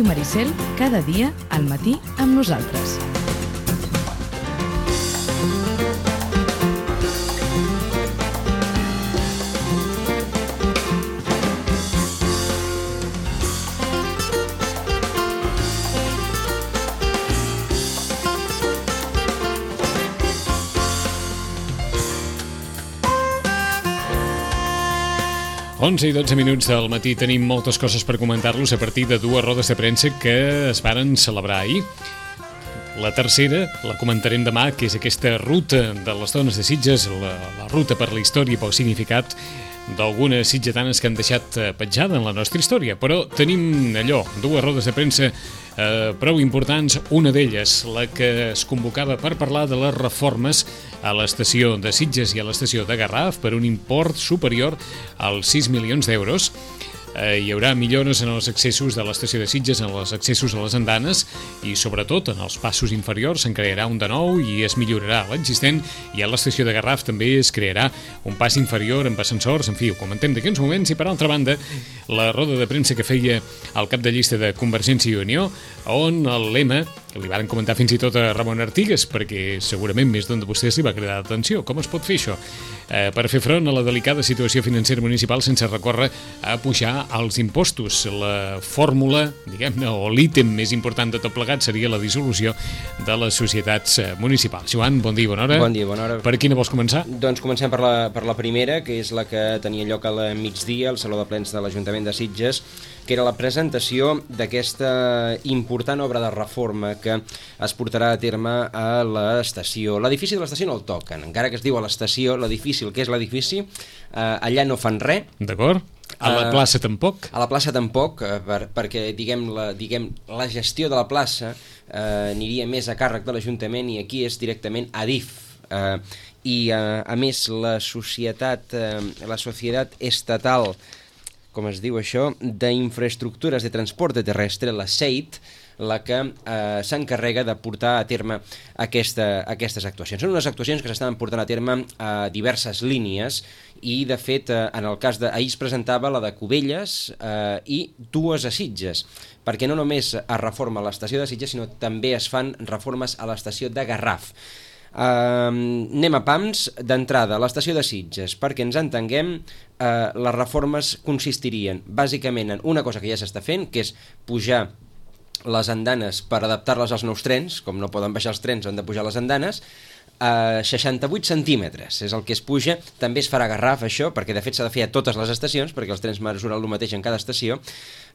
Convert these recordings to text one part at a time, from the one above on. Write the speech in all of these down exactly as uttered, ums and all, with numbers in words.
Ràdio Maricel, cada dia al matí amb nosaltres. onze i dotze minuts del matí, tenim moltes coses per comentar-los a partir de dues rodes de premsa que es varen celebrar ahir. La tercera la comentarem demà, que és aquesta ruta de les dones de Sitges, la, la ruta per la història i pel significat d'algunes sitgetanes que han deixat petjada en la nostra història. Però tenim allò, dues rodes de premsa eh, prou importants, una d'elles, la que es convocava per parlar de les reformes a l'estació de Sitges i a l'estació de Garraf per un import superior als sis milions d'euros. Eh, hi haurà millores en els accessos de l'estació de Sitges, en els accessos a les andanes i sobretot en els passos inferiors se'n crearà un de nou i es millorarà l'existent, i a l'estació de Garraf també es crearà un pas inferior amb ascensors. En fi, ho comentem d'aquí uns moments. I per altra banda, la roda de premsa que feia el cap de llista de Convergència i Unió, on el lema, que li varen comentar fins i tot a Ramon Artigas, perquè segurament més d'un de vostès li va cridar l'atenció. Com es pot fer això? Eh, per fer front a la delicada situació financera municipal sense recórrer a pujar els impostos. La fórmula, diguem-ne, o l'ítem més important de tot plegat seria la dissolució de les societats municipals. Joan, bon dia, bona hora. Bon dia, bona hora. Per quina vols començar? Doncs comencem per la, per la primera, que és la que tenia lloc al migdia al Saló de Plens de l'Ajuntament de Sitges, que era la presentació d'aquesta important obra de reforma que es portarà a terme a l'estació. L'edifici de l'estació no el toquen, encara que es diu a l'estació, l'edifici, el que és l'edifici, eh, allà no fan res. D'acord. A la plaça tampoc? A la plaça tampoc, eh, per, perquè diguem la, diguem, la gestió de la plaça eh, aniria més a càrrec de l'Ajuntament i aquí és directament Adif. Eh, I eh, a més la societat, eh, la societat estatal, com es diu això, d'infraestructures de transporte terrestre, la S E I T, la que eh, s'encarrega de portar a terme aquesta, aquestes actuacions. Són unes actuacions que s'estan portant a terme a diverses línies i, de fet, eh, en el cas de... ahir es presentava la de Cubelles eh, i dues a Sitges, perquè no només es reforma l'estació de Sitges, sinó també es fan reformes a l'estació de Garraf. Uh, anem a pams. D'entrada, a l'estació de Sitges, perquè ens entenguem, uh, les reformes consistirien bàsicament en una cosa que ja s'està fent, que és pujar les andanes per adaptar-les als nous trens. Com no poden baixar els trens, han de pujar les andanes a seixanta-vuit centímetres, és el que es puja. També es farà a Garraf, això, perquè de fet s'ha de fer a totes les estacions, perquè els trens mesuren el mateix en cada estació.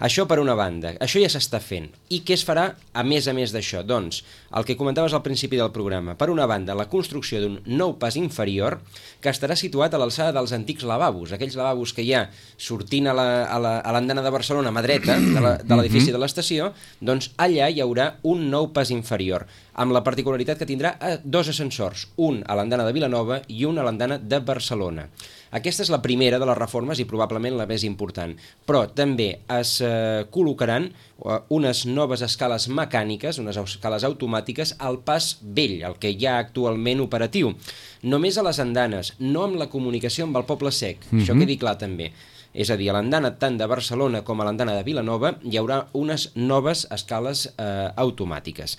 Això per una banda, això ja s'està fent. I què es farà a més a més d'això? Doncs, el que comentaves al principi del programa, per una banda, la construcció d'un nou pas inferior que estarà situat a l'alçada dels antics lavabos, aquells lavabos que hi ha sortint a l'andana de Barcelona, a mà dreta de l'edifici de l'estació, doncs allà hi haurà un nou pas inferior, amb la particularitat que tindrà dos ascensors, un a l'andana de Vilanova i un a l'andana de Barcelona. Aquesta és la primera de les reformes i probablement la més important, però també es eh, col·locaran unes noves escales mecàniques, unes escales automàtiques al pas vell, el que hi ha actualment operatiu. Només a les andanes, no amb la comunicació amb el Poble Sec, mm-hmm. Això quedi clar també. És a dir, a l'andana tant de Barcelona com a l'andana de Vilanova hi haurà unes noves escales eh, automàtiques.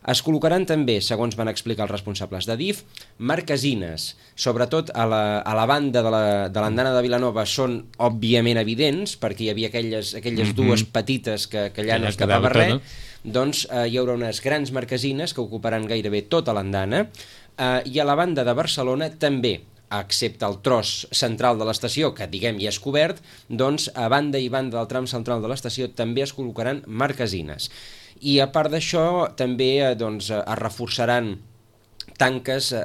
Es col·locaran també, segons van explicar els responsables d'Adif, marquesines, sobretot a la, a la banda de l'andana de, de Vilanova són òbviament evidents, perquè hi havia aquelles, aquelles mm-hmm. dues petites que, que allà no es tapava res, no? Doncs eh, hi haurà unes grans marquesines que ocuparan gairebé tota l'andana, eh, i a la banda de Barcelona també, excepte el tros central de l'estació, que diguem ja és cobert, doncs a banda i banda del tram central de l'estació també es col·locaran marquesines. I a part d'això també eh, doncs, es reforçaran tanques eh,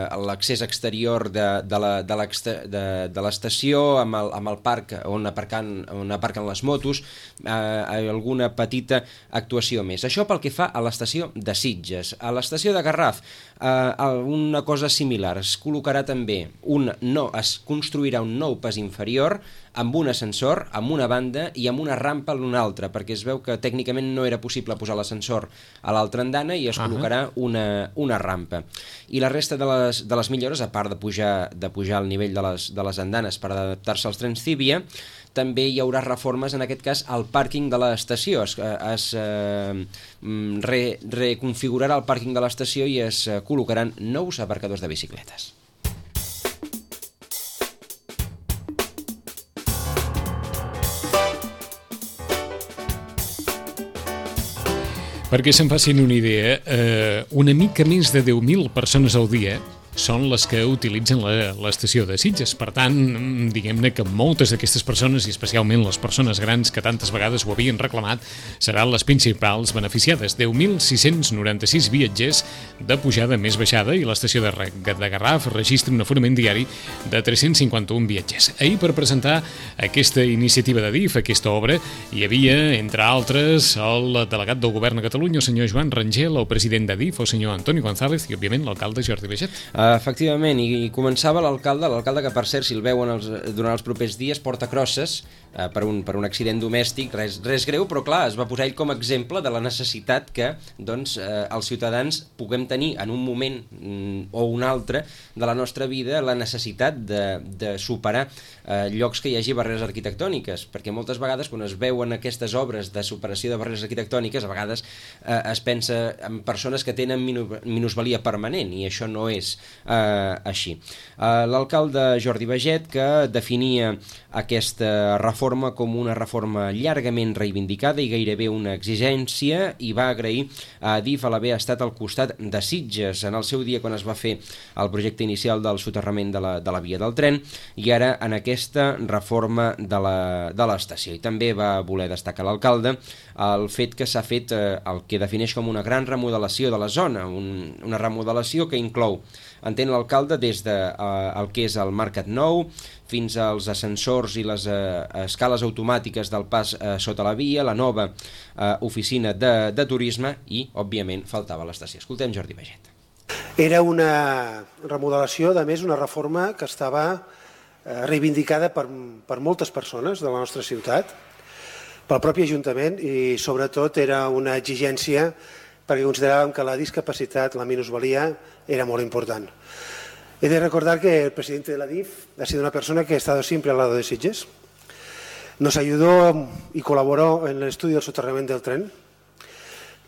a l'accés exterior de, de, la, de, de, de l'estació amb el, amb el parc on aparquen, on aparquen les motos, eh, alguna petita actuació més. Això pel que fa a l'estació de Sitges. A l'estació de Garraf, eh, una cosa similar, es col·locarà també un no, es construirà un nou pas inferior amb un ascensor, amb una banda i amb una rampa a l'una altra, perquè es veu que tècnicament no era possible posar l'ascensor a l'altra andana i es col·locarà una, una rampa. I la resta de les, de les millores, a part de pujar, de pujar el nivell de les, de les andanes per adaptar-se als trens Cívia, també hi haurà reformes, en aquest cas, al pàrquing de l'estació. Es, es eh, re, reconfigurarà el pàrquing de l'estació i es col·locaran nous aparcadors de bicicletes. Perquè se'n facin una idea, eh, una mica més de deu mil persones al dia són les que utilitzen l'estació de Sitges. Per tant, diguem-ne que moltes d'aquestes persones, i especialment les persones grans que tantes vegades ho havien reclamat, seran les principals beneficiades. deu mil sis-cents noranta-sis viatgers de pujada més baixada i l'estació de, de Garraf registra un aforament diari de tres-cents cinquanta-un viatgers. Ahir, per presentar aquesta iniciativa de D I F, aquesta obra, hi havia, entre altres, el delegat del Govern a Catalunya, el senyor Joan Rangel, el president de D I F, el senyor Antoni González i, òbviament, l'alcalde Jordi Baget. Efectivament, i començava l'alcalde, l'alcalde que, per cert, si el veuen els, durant els propers dies, porta crosses eh, per, un, per un accident domèstic, res, res greu, però clar, es va posar ell com a exemple de la necessitat que doncs, eh, els ciutadans puguem tenir en un moment mm, o un altre de la nostra vida la necessitat de, de superar eh, llocs que hi hagi barreres arquitectòniques, perquè moltes vegades quan es veuen aquestes obres de superació de barreres arquitectòniques, a vegades eh, es pensa en persones que tenen minusvalia permanent, i això no és Uh, així. Uh, l'alcalde Jordi Baget, que definia aquesta reforma com una reforma llargament reivindicada i gairebé una exigència, i va agrair a D I F l'haver estat al costat de Sitges en el seu dia quan es va fer el projecte inicial del soterrament de la, de la via del tren, i ara en aquesta reforma de l'estació. I també va voler destacar l'alcalde el fet que s'ha fet eh, el que defineix com una gran remodelació de la zona, un, una remodelació que inclou, entén l'alcalde, des de eh, el que és el Mercat Nou fins als ascensors i les eh, escales automàtiques del pas eh, sota la via, la nova eh, oficina de, de turisme i, òbviament, faltava l'estació. Escoltem Jordi Baget. Era una remodelació, a més, una reforma que estava eh, reivindicada per, per moltes persones de la nostra ciutat, pel propi Ajuntament, i sobretot era una exigència perquè consideràvem que la discapacitat, la minusvalia, era molt important. He de recordar que el presidente de la D I F ha sido una persona que ha estado siempre al lado de Sitges. Nos ayudó y colaboró en el estudio del soterramiento del tren,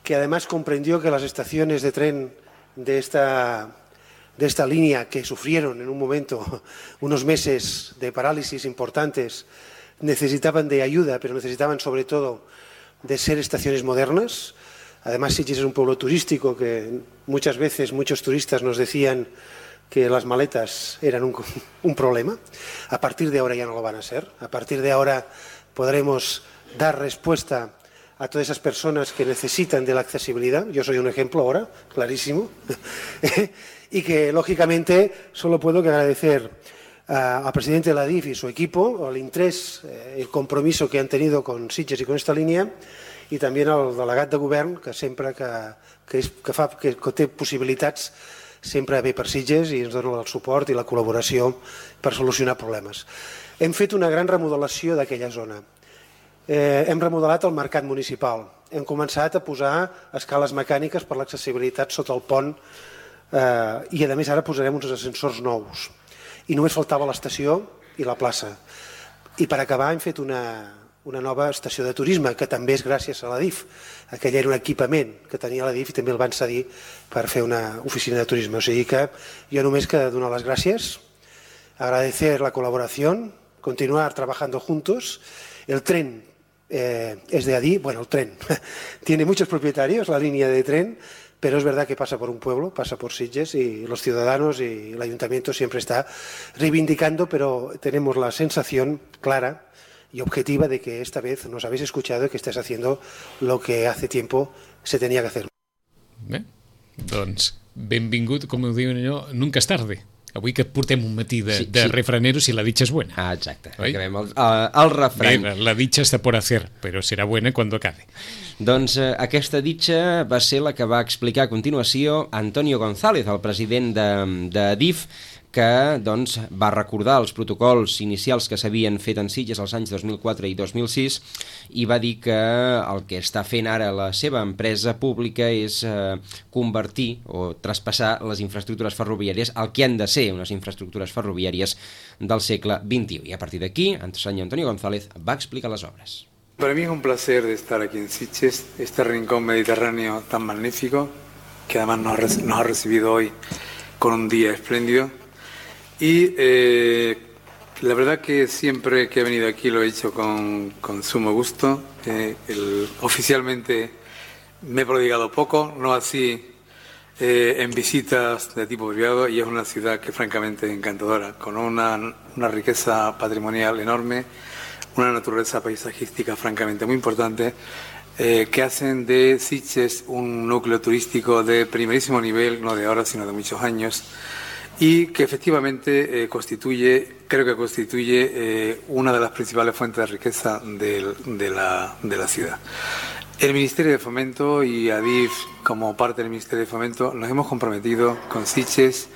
que además comprendió que las estaciones de tren de esta, de esta línea, que sufrieron en un momento unos meses de parálisis importantes, necesitaban de ayuda, pero necesitaban sobre todo de ser estaciones modernas. Además, Sitges es un pueblo turístico que muchas veces muchos turistas nos decían que las maletas eran un, un problema. A partir de ahora ya no lo van a ser. A partir de ahora podremos dar respuesta a todas esas personas que necesitan de la accesibilidad. Yo soy un ejemplo ahora, clarísimo. Y que, lógicamente, solo puedo que agradecer al presidente de la D I F y su equipo, al interés, el compromiso que han tenido con Sitges y con esta línea, i també al delegat de govern, que sempre que, que, és, que, fa, que, que té possibilitats, sempre ve per Sitges i ens dona el suport i la col·laboració per solucionar problemes. Hem fet una gran remodelació d'aquella zona. Eh, hem remodelat el mercat municipal. Hem començat a posar escales mecàniques per l'accessibilitat sota el pont eh, i, a més, ara posarem uns ascensors nous. I només faltava l'estació i la plaça. I per acabar hem fet una... una nova estació de turisme, que també és gràcies a la D I F. Aquell era un equipament que tenia la D I F i també el van cedir per fer una oficina de turisme. O sigui que jo només que donar les gràcies, agradecer la colaboración, continuar trabajando juntos. El tren eh, es de Adif, bueno, el tren tiene muchos propietarios, la línea de tren, pero es verdad que pasa por un pueblo, pasa por Sitges, y los ciudadanos y el ayuntamiento siempre está reivindicando, pero tenemos la sensación clara y objetiva de que esta vez nos habéis escuchado y que estáis haciendo lo que hace tiempo se tenía que hacer. Bé, doncs benvingut, com ho diuen allò, nunca és tarde. Avui que portem un matí de, sí, de sí. refraneros y la dicha es buena. Ah, exacte. Acabem el, el, el refrany. Bé, la dicha está por hacer, pero será buena cuando acabe. Doncs eh, aquesta ditxa va ser la que va explicar a continuació Antonio González, el president de, de DIF, que doncs, va recordar els protocols inicials que s'havien fet en Sitges els anys dos mil quatre i dos mil sis i va dir que el que està fent ara la seva empresa pública és eh, convertir o traspassar les infraestructures ferroviàries al que han de ser unes infraestructures ferroviàries del segle vint-i-u. I a partir d'aquí, el senyor Antonio González va explicar les obres. Para mí es un placer de estar aquí en Sitges, este rincón mediterráneo tan magnífico, que además nos ha, nos ha recibido hoy con un día espléndido. Y eh, la verdad que siempre que he venido aquí lo he hecho con, con sumo gusto. Eh, el, oficialmente me he prodigado poco, no así eh, en visitas de tipo privado, y es una ciudad que francamente es encantadora, con una, una riqueza patrimonial enorme, una naturaleza paisajística francamente muy importante, eh, que hacen de Sitges un núcleo turístico de primerísimo nivel, no de ahora sino de muchos años, y que efectivamente eh, constituye, creo que constituye eh, una de las principales fuentes de riqueza de, de, la, de la ciudad. El Ministerio de Fomento y ADIF, como parte del Ministerio de Fomento, nos hemos comprometido con Sitges,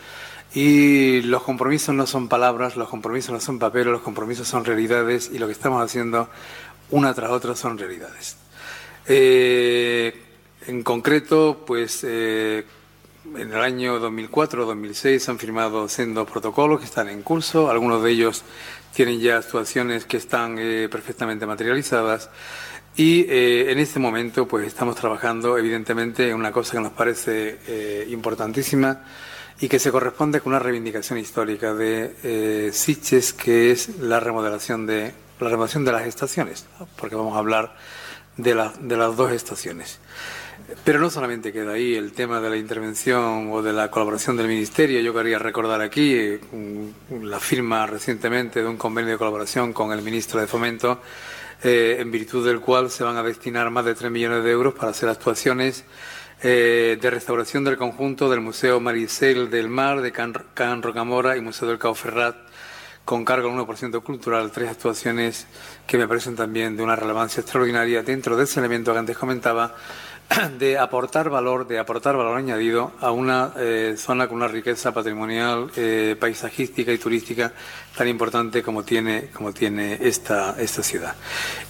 y los compromisos no son palabras, los compromisos no son papeles, los compromisos son realidades, y lo que estamos haciendo una tras otra son realidades. Eh, en concreto, pues... Eh, En el año dos mil cuatro dos mil seis se han firmado sendos protocolos que están en curso, algunos de ellos tienen ya actuaciones que están eh, perfectamente materializadas, y eh, en este momento pues estamos trabajando evidentemente en una cosa que nos parece eh, importantísima y que se corresponde con una reivindicación histórica de eh, Sitges, que es la remodelación de, la remodelación de las estaciones, ¿no? Porque vamos a hablar de, la, de las dos estaciones. Pero no solamente queda ahí el tema de la intervención o de la colaboración del Ministerio. Yo quería recordar aquí eh, la firma recientemente de un convenio de colaboración con el Ministro de Fomento, eh, en virtud del cual se van a destinar más de tres millones de euros para hacer actuaciones eh, de restauración del conjunto del Museo Maricel del Mar, de Can, Can Rocamora y Museo del Cabo Ferrat, con cargo al uno por ciento cultural, tres actuaciones que me parecen también de una relevancia extraordinaria dentro de ese elemento que antes comentaba, de aportar valor, de aportar valor añadido a una eh, zona con una riqueza patrimonial, eh, paisajística y turística tan importante como tiene, como tiene esta, esta ciudad.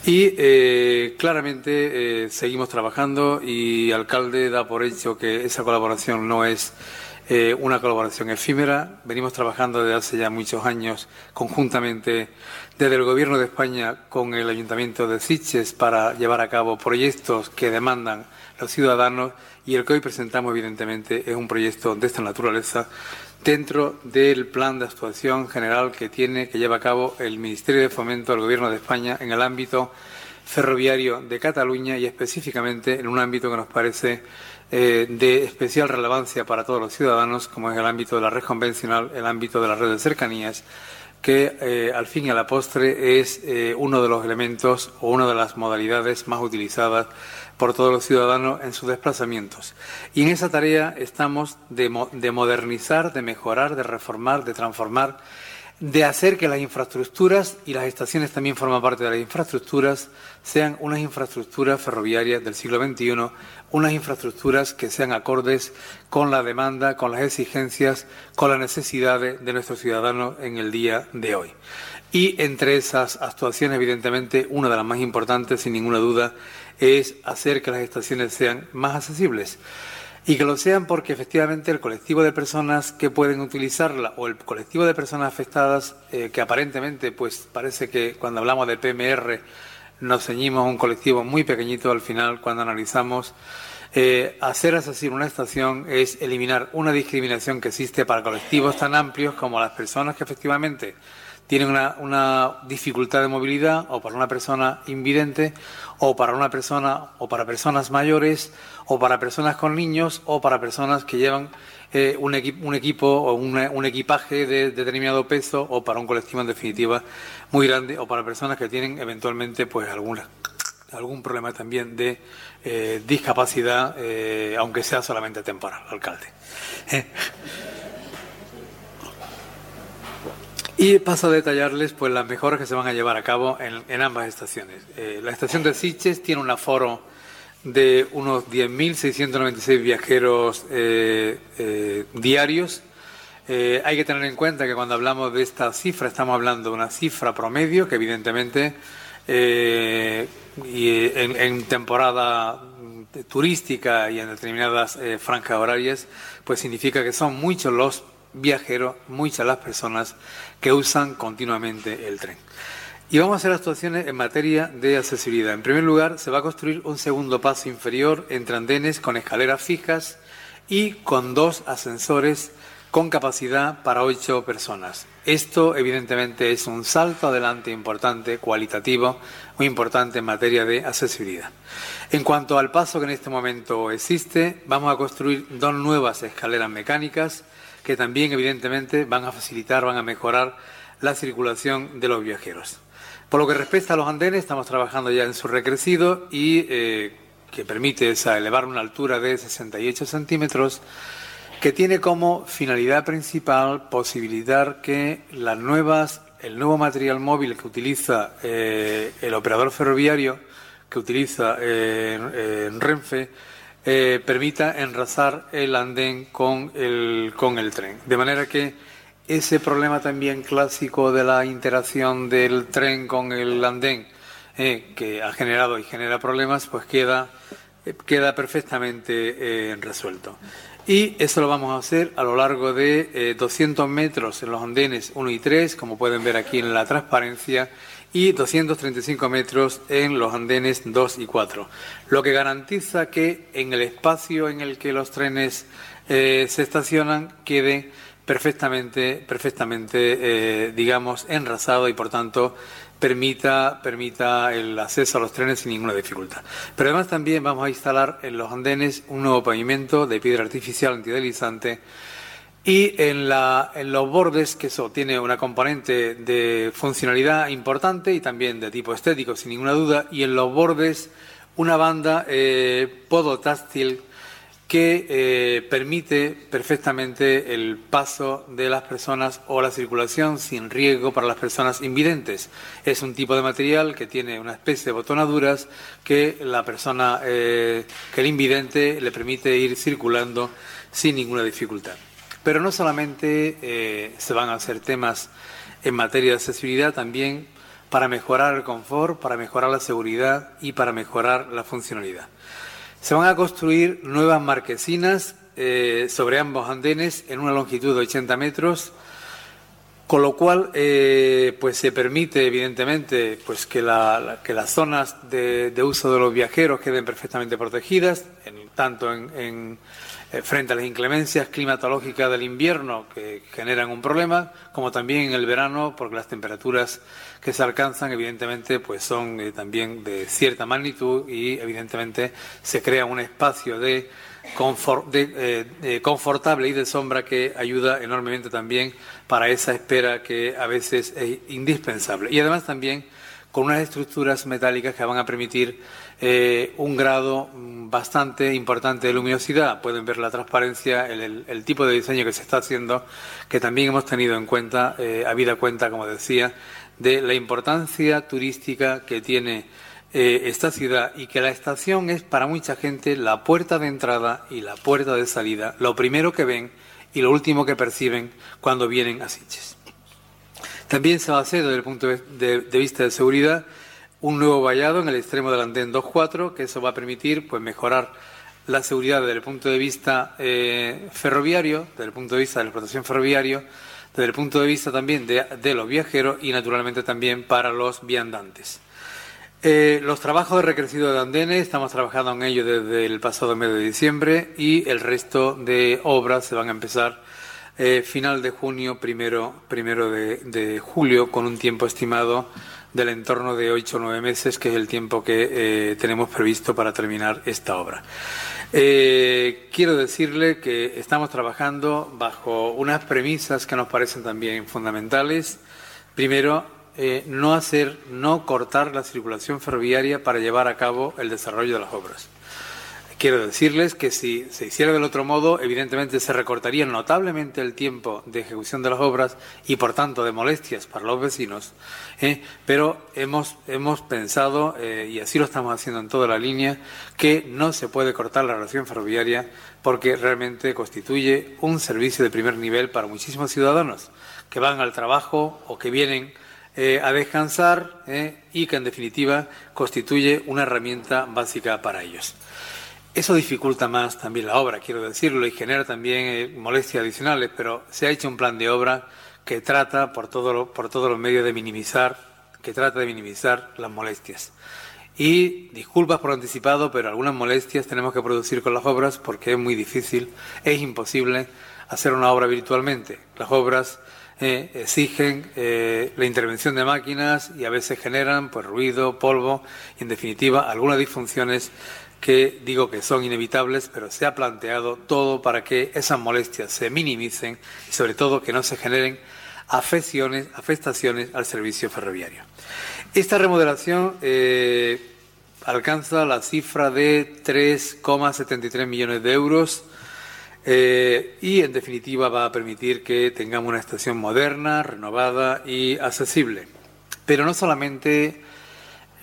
Y eh, claramente eh, seguimos trabajando, y el alcalde da por hecho que esa colaboración no es eh, una colaboración efímera. Venimos trabajando desde hace ya muchos años conjuntamente desde el Gobierno de España con el Ayuntamiento de Sitges para llevar a cabo proyectos que demandan los ciudadanos, y el que hoy presentamos evidentemente es un proyecto de esta naturaleza dentro del plan de actuación general que tiene, que lleva a cabo el Ministerio de Fomento del Gobierno de España en el ámbito ferroviario de Cataluña, y específicamente en un ámbito que nos parece eh, de especial relevancia para todos los ciudadanos, como es el ámbito de la red convencional, el ámbito de la red de cercanías, que eh, al fin y a la postre es eh, uno de los elementos o una de las modalidades más utilizadas por todos los ciudadanos en sus desplazamientos. Y en esa tarea estamos de, mo de modernizar, de mejorar, de reformar, de transformar, de hacer que las infraestructuras, y las estaciones también forman parte de las infraestructuras, sean unas infraestructuras ferroviarias del siglo veintiuno, unas infraestructuras que sean acordes con la demanda, con las exigencias, con las necesidades de nuestros ciudadanos en el día de hoy. Y entre esas actuaciones, evidentemente, una de las más importantes, sin ninguna duda, es hacer que las estaciones sean más accesibles. Y que lo sean porque efectivamente el colectivo de personas que pueden utilizarla, o el colectivo de personas afectadas, eh, que aparentemente pues parece que cuando hablamos de P M R nos ceñimos a un colectivo muy pequeñito, al final cuando analizamos eh, hacer accesible una estación es eliminar una discriminación que existe para colectivos tan amplios como las personas que efectivamente tienen una, una dificultad de movilidad, o para una persona invidente, o para una persona, o para personas mayores, o para personas con niños, o para personas que llevan eh, un, equi un equipo o una, un equipaje de, de determinado peso, o para un colectivo en definitiva muy grande, o para personas que tienen eventualmente pues alguna, algún problema también de eh, discapacidad, eh, aunque sea solamente temporal, alcalde. ¿Eh? Y paso a detallarles pues las mejoras que se van a llevar a cabo en, en ambas estaciones. Eh, la estación de Sitges tiene un aforo de unos diez mil seiscientos noventa y seis viajeros eh, eh, diarios. Eh, hay que tener en cuenta que cuando hablamos de esta cifra estamos hablando de una cifra promedio que evidentemente eh, y en, en temporada turística y en determinadas eh, franjas horarias, pues significa que son muchos los viajeros, muchas las personas que usan continuamente el tren. Y vamos a hacer actuaciones en materia de accesibilidad. En primer lugar, se va a construir un segundo paso inferior entre andenes con escaleras fijas y con dos ascensores con capacidad para ocho personas. Esto, evidentemente, es un salto adelante importante, cualitativo, muy importante en materia de accesibilidad. En cuanto al paso que en este momento existe, vamos a construir dos nuevas escaleras mecánicas que también, evidentemente, van a facilitar, van a mejorar la circulación de los viajeros. Por lo que respecta a los andenes, estamos trabajando ya en su recrecido y eh, que permite esa, elevar una altura de sesenta y ocho centímetros, que tiene como finalidad principal posibilitar que las nuevas, el nuevo material móvil que utiliza eh, el operador ferroviario, que utiliza eh, en Renfe, eh, permita enlazar el andén con el, con el tren. De manera que ese problema también clásico de la interacción del tren con el andén, eh, que ha generado y genera problemas, pues queda, eh, queda perfectamente eh, resuelto. Y eso lo vamos a hacer a lo largo de eh, doscientos metros en los andenes uno y tres, como pueden ver aquí en la transparencia, y doscientos treinta y cinco metros en los andenes dos y cuatro, lo que garantiza que en el espacio en el que los trenes eh, se estacionan quede perfectamente, perfectamente eh, digamos, enrasado y, por tanto, permita, permita el acceso a los trenes sin ninguna dificultad. Pero además también vamos a instalar en los andenes un nuevo pavimento de piedra artificial antideslizante y en, la, en los bordes, que eso tiene una componente de funcionalidad importante y también de tipo estético, sin ninguna duda, y en los bordes una banda eh, podotáctil que eh, permite perfectamente el paso de las personas o la circulación sin riesgo para las personas invidentes. Es un tipo de material que tiene una especie de botonaduras que la persona, eh, que el invidente le permite ir circulando sin ninguna dificultad. Pero no solamente eh, se van a hacer temas en materia de accesibilidad, también para mejorar el confort, para mejorar la seguridad y para mejorar la funcionalidad. Se van a construir nuevas marquesinas eh, sobre ambos andenes en una longitud de ochenta metros, con lo cual eh, pues se permite evidentemente pues que, la, la, que las zonas de, de uso de los viajeros queden perfectamente protegidas, en, tanto en, en, eh, frente a las inclemencias climatológicas del invierno que generan un problema, como también en el verano, porque las temperaturas que se alcanzan evidentemente pues son eh, también de cierta magnitud y evidentemente se crea un espacio de, confort, de, eh, de confortable y de sombra que ayuda enormemente también para esa espera que a veces es indispensable. Y además también con unas estructuras metálicas que van a permitir eh, un grado bastante importante de luminosidad. Pueden ver la transparencia, el, el, el tipo de diseño que se está haciendo, que también hemos tenido en cuenta, eh, habida cuenta, como decía, de la importancia turística que tiene eh, esta ciudad y que la estación es para mucha gente la puerta de entrada y la puerta de salida, lo primero que ven y lo último que perciben cuando vienen a Sitges. También se va a hacer, desde el punto de, de, de vista de seguridad, un nuevo vallado en el extremo del andén dos cuatro, que eso va a permitir pues mejorar la seguridad desde el punto de vista eh, ferroviario, desde el punto de vista de la explotación ferroviaria, desde el punto de vista también de, de los viajeros y naturalmente también para los viandantes. Eh, los trabajos de recrecido de andenes, estamos trabajando en ello desde el pasado mes de diciembre y el resto de obras se van a empezar eh, final de junio, primero, primero de, de julio, con un tiempo estimado del entorno de ocho o nueve meses, que es el tiempo que eh, tenemos previsto para terminar esta obra. Eh, quiero decirle que estamos trabajando bajo unas premisas que nos parecen también fundamentales. Primero, eh, no hacer, no cortar la circulación ferroviaria para llevar a cabo el desarrollo de las obras. Quiero decirles que si se hiciera del otro modo, evidentemente se recortaría notablemente el tiempo de ejecución de las obras y, por tanto, de molestias para los vecinos. ¿eh? Pero hemos, hemos pensado, eh, y así lo estamos haciendo en toda la línea, que no se puede cortar la relación ferroviaria porque realmente constituye un servicio de primer nivel para muchísimos ciudadanos que van al trabajo o que vienen eh, a descansar eh, y que, en definitiva, constituye una herramienta básica para ellos. Eso dificulta más también la obra, quiero decirlo, y genera también eh, molestias adicionales, pero se ha hecho un plan de obra que trata por, todo lo, por todos los medios de minimizar, que trata de minimizar las molestias. Y disculpas por anticipado, pero algunas molestias tenemos que producir con las obras porque es muy difícil, es imposible hacer una obra virtualmente. Las obras eh, exigen eh, la intervención de máquinas y a veces generan pues ruido, polvo y, en definitiva, algunas disfunciones que digo que son inevitables, pero se ha planteado todo para que esas molestias se minimicen y, sobre todo, que no se generen afecciones, afectaciones al servicio ferroviario. Esta remodelación eh, alcanza la cifra de tres coma setenta y tres millones de euros eh, y, en definitiva, va a permitir que tengamos una estación moderna, renovada y accesible. Pero no solamente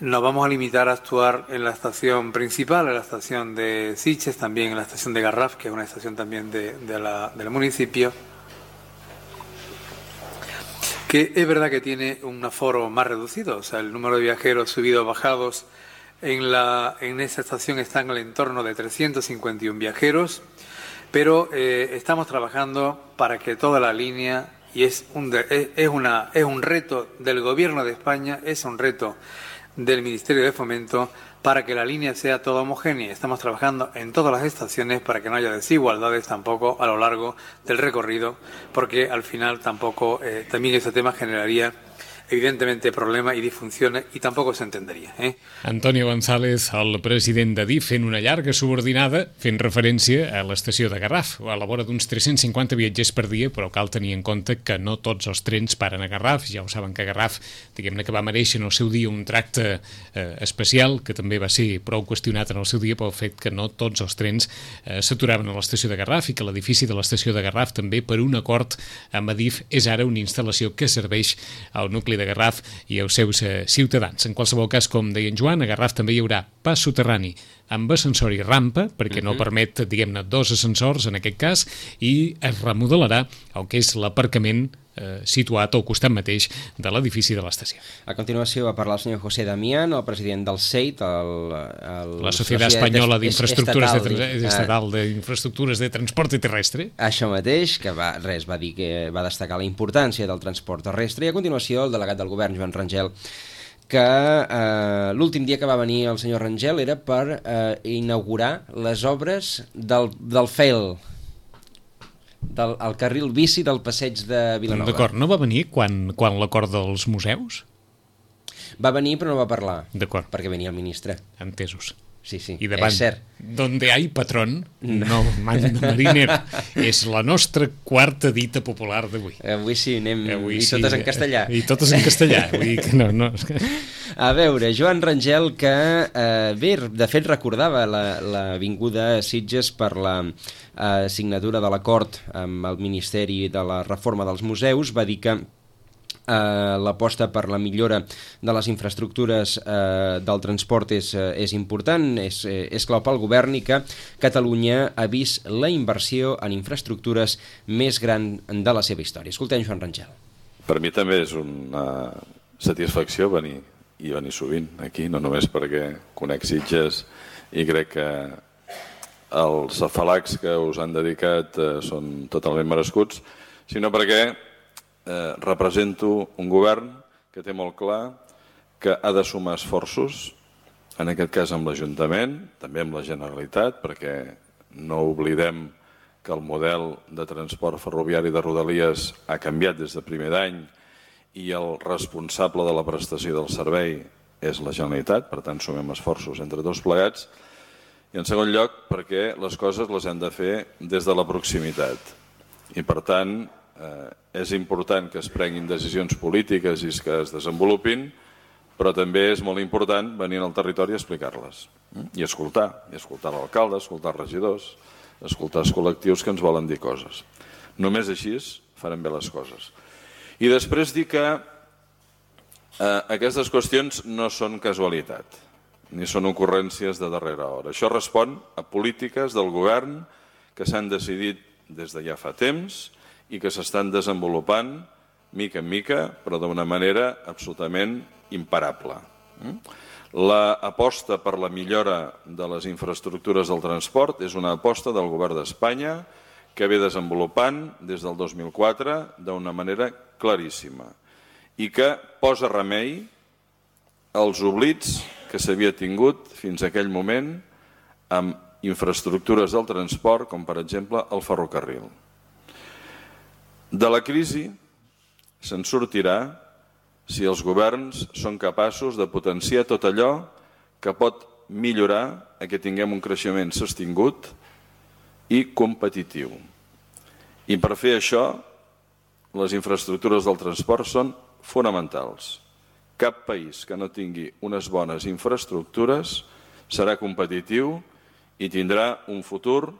nos vamos a limitar a actuar en la estación principal, en la estación de Sitges, también en la estación de Garraf, que es una estación también de, de la, del municipio, que es verdad que tiene un aforo más reducido, o sea, el número de viajeros subidos o bajados en, la, en esa estación está en el entorno de trescientos cincuenta y uno viajeros, pero eh, estamos trabajando para que toda la línea, y es un, es, es, una, es un reto del Gobierno de España, es un reto del Ministerio de Fomento, para que la línea sea toda homogénea. Estamos trabajando en todas las estaciones para que no haya desigualdades tampoco a lo largo del recorrido, porque al final tampoco, eh, también ese tema generaría evidentemente problemes i disfuncions i tampoc s'entenderia. Eh? Antonio González, el president d'Adif, fent una llarga subordinada, fent referència a l'estació de Garraf, a la vora d'uns tres-cents cinquanta viatgers per dia, però cal tenir en compte que no tots els trens paren a Garraf. Ja ho saben que Garraf, diguem-ne que va mereixer en el seu dia un tracte eh, especial, que també va ser prou qüestionat en el seu dia pel fet que no tots els trens eh, s'aturaven a l'estació de Garraf i que l'edifici de l'estació de Garraf també, per un acord amb Adif, és ara una instal·lació que serveix al nucli de Garraf i als seus eh, ciutadans. En qualsevol cas, com deia en Joan, a Garraf també hi haurà pas soterrani amb ascensor i rampa, perquè no permet, diguem-ne, dos ascensors en aquest cas, i es remodelarà el que és l'aparcament eh, situat al costat mateix de l'edifici de l'estació. A continuació va parlar el senyor José Damián, el president del S E I T, el, el la Societat Espanyola d'Infraestructures de, de, Estatal d'Infraestructures de Transporte Terrestre. Això mateix, que va, res, va dir que va destacar la importància del transport terrestre, i a continuació el delegat del govern, Joan Rangel, que eh, l'últim dia que va venir el senyor Rangel era per eh, inaugurar les obres del, del F E L, del el carril bici del passeig de Vilanova. D'acord, no va venir quan, quan l'acord dels museus? Va venir però no va parlar. D'acord. Perquè venia el ministre. Entesos. Sí, sí, I davant, és cert. donde hay patrón, no manda marinero. És la nostra quarta dita popular d'avui. Avui sí, anem... Avui I sí, totes en castellà. I totes en castellà. Vull dir que no, no... A veure, Joan Rangel, que eh, bé, de fet recordava la, la vinguda a Sitges per la eh, signatura de l'acord amb el Ministeri de la Reforma dels Museus, va dir que Uh, l'aposta per la millora de les infraestructures uh, del transport és, uh, és important, és, és clau pel govern, i que Catalunya ha vist la inversió en infraestructures més gran de la seva història. Escoltem Joan Rangel. Per mi també és una satisfacció venir, i venir sovint aquí, no només perquè conec Sitges i crec que els afalacs que us han dedicat uh, són totalment merescuts, sinó perquè Eh, represento un govern que té molt clar que ha de sumar esforços, en aquest cas amb l'Ajuntament, també amb la Generalitat, perquè no oblidem que el model de transport ferroviari de Rodalies ha canviat des de primer d'any i el responsable de la prestació del servei és la Generalitat, per tant sumem esforços entre tots plegats, i en segon lloc perquè les coses les hem de fer des de la proximitat i per tant Eh, és important que es prenguin decisions polítiques i que es desenvolupin, però també és molt important venir al territori a explicar-les i escoltar, i escoltar l'alcalde, escoltar els regidors, escoltar els col·lectius que ens volen dir coses. Només així farem bé les coses. I després dir que eh, aquestes qüestions no són casualitat, ni són ocurrències de darrera hora. Això respon a polítiques del govern que s'han decidit des de ja fa temps i que s'estan desenvolupant mica en mica, però d'una manera absolutament imparable. L'aposta per la millora de les infraestructures del transport és una aposta del govern d'Espanya que ve desenvolupant des del dos mil quatre d'una manera claríssima i que posa remei als oblits que s'havia tingut fins a aquell moment amb infraestructures del transport, com per exemple el ferrocarril. De la crisi se'n sortirà si els governs són capaços de potenciar tot allò que pot millorar que tinguem un creixement sostingut i competitiu. I per fer això, les infraestructures del transport són fonamentals. Cap país que no tingui unes bones infraestructures serà competitiu i tindrà un futur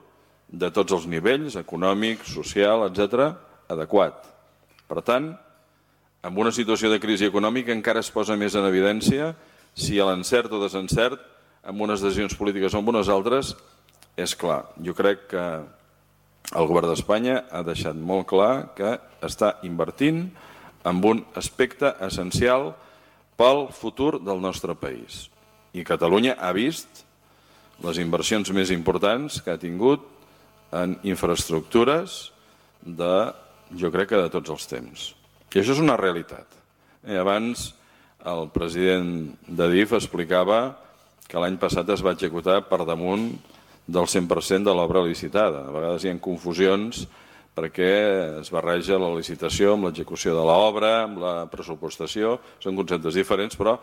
de tots els nivells, econòmic, social, etcètera, adequat. Per tant, en una situació de crisi econòmica encara es posa més en evidència si l'encert o desencert amb unes decisions polítiques o amb unes altres és clar. Jo crec que el govern d'Espanya ha deixat molt clar que està invertint en un aspecte essencial pel futur del nostre país. I Catalunya ha vist les inversions més importants que ha tingut en infraestructures de, jo crec que de tots els temps. I això és una realitat. I abans el president d'Adif explicava que l'any passat es va executar per damunt del cent per cent de l'obra licitada. A vegades hi ha confusions perquè es barreja la licitació amb l'execució de l'obra, amb la pressupostació, són conceptes diferents, però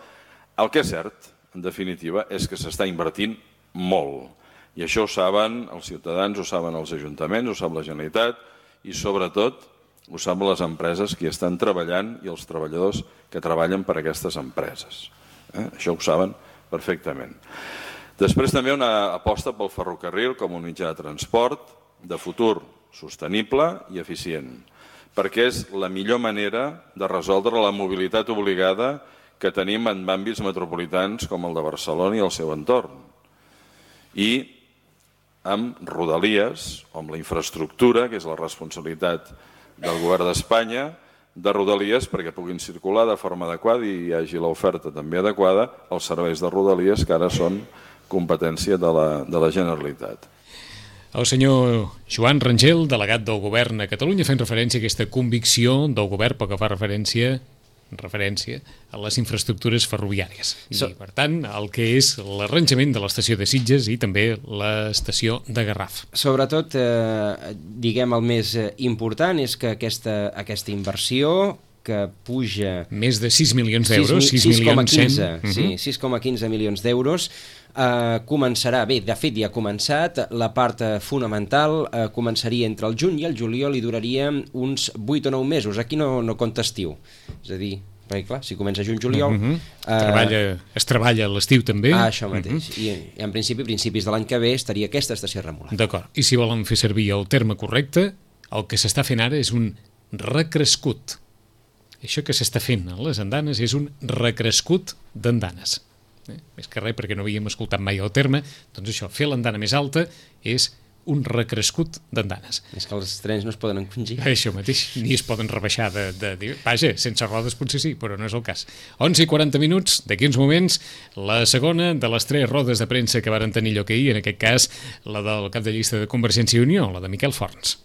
el que és cert, en definitiva, és que s'està invertint molt. I això ho saben els ciutadans, ho saben els ajuntaments, ho sap la Generalitat i, sobretot, ho saben les empreses que hi estan treballant i els treballadors que treballen per a aquestes empreses. Eh? Això ho saben perfectament. Després també una aposta pel ferrocarril com un mitjà de transport de futur sostenible i eficient, perquè és la millor manera de resoldre la mobilitat obligada que tenim en àmbits metropolitans com el de Barcelona i el seu entorn. I amb rodalies, o amb la infraestructura, que és la responsabilitat del govern d'Espanya, de rodalies perquè puguin circular de forma adequada i hi hagi l'oferta també adequada als serveis de rodalies que ara són competència de la, de la Generalitat. El senyor Joan Rangel, delegat del govern a Catalunya, fent referència a aquesta convicció del govern pel que fa referència referència a les infraestructures ferroviàries. I, so, per tant, el que és l'arranjament de l'estació de Sitges i també l'estació de Garraf. Sobretot, eh, diguem, el més important és que aquesta, aquesta inversió que puja... Més de sis milions d'euros, sis milions cent... Sí, sis coma quinze milions d'euros. Uh, començarà, bé, de fet ja ha començat, la part uh, fonamental uh, començaria entre el juny i el juliol i duraria uns vuit o nou mesos. Aquí no, no compta estiu, és a dir, perquè clar, si comença juny-juliol... Uh-huh. uh, treballa, es treballa a l'estiu també. Ah, això mateix, uh-huh. I, i en principi, principis de l'any que ve estaria aquesta estació remolada. D'acord, i si volen fer servir el terme correcte, el que s'està fent ara és un recrescut. Això que s'està fent a les andanes és un recrescut d'andanes. Eh? Més que res, perquè no havíem escoltat mai el terme, doncs això, fer l'andana més alta és un recrescut d'andanes. És que els trens no es poden encongir. Això mateix, ni es poden rebaixar de, de, de... Vaja, sense rodes potser sí, però no és el cas. onze i quaranta minuts, d'aquí uns moments, la segona de les tres rodes de premsa que varen tenir lloc ahir, en aquest cas la del cap de llista de Convergència i Unió, la de Miquel Forns.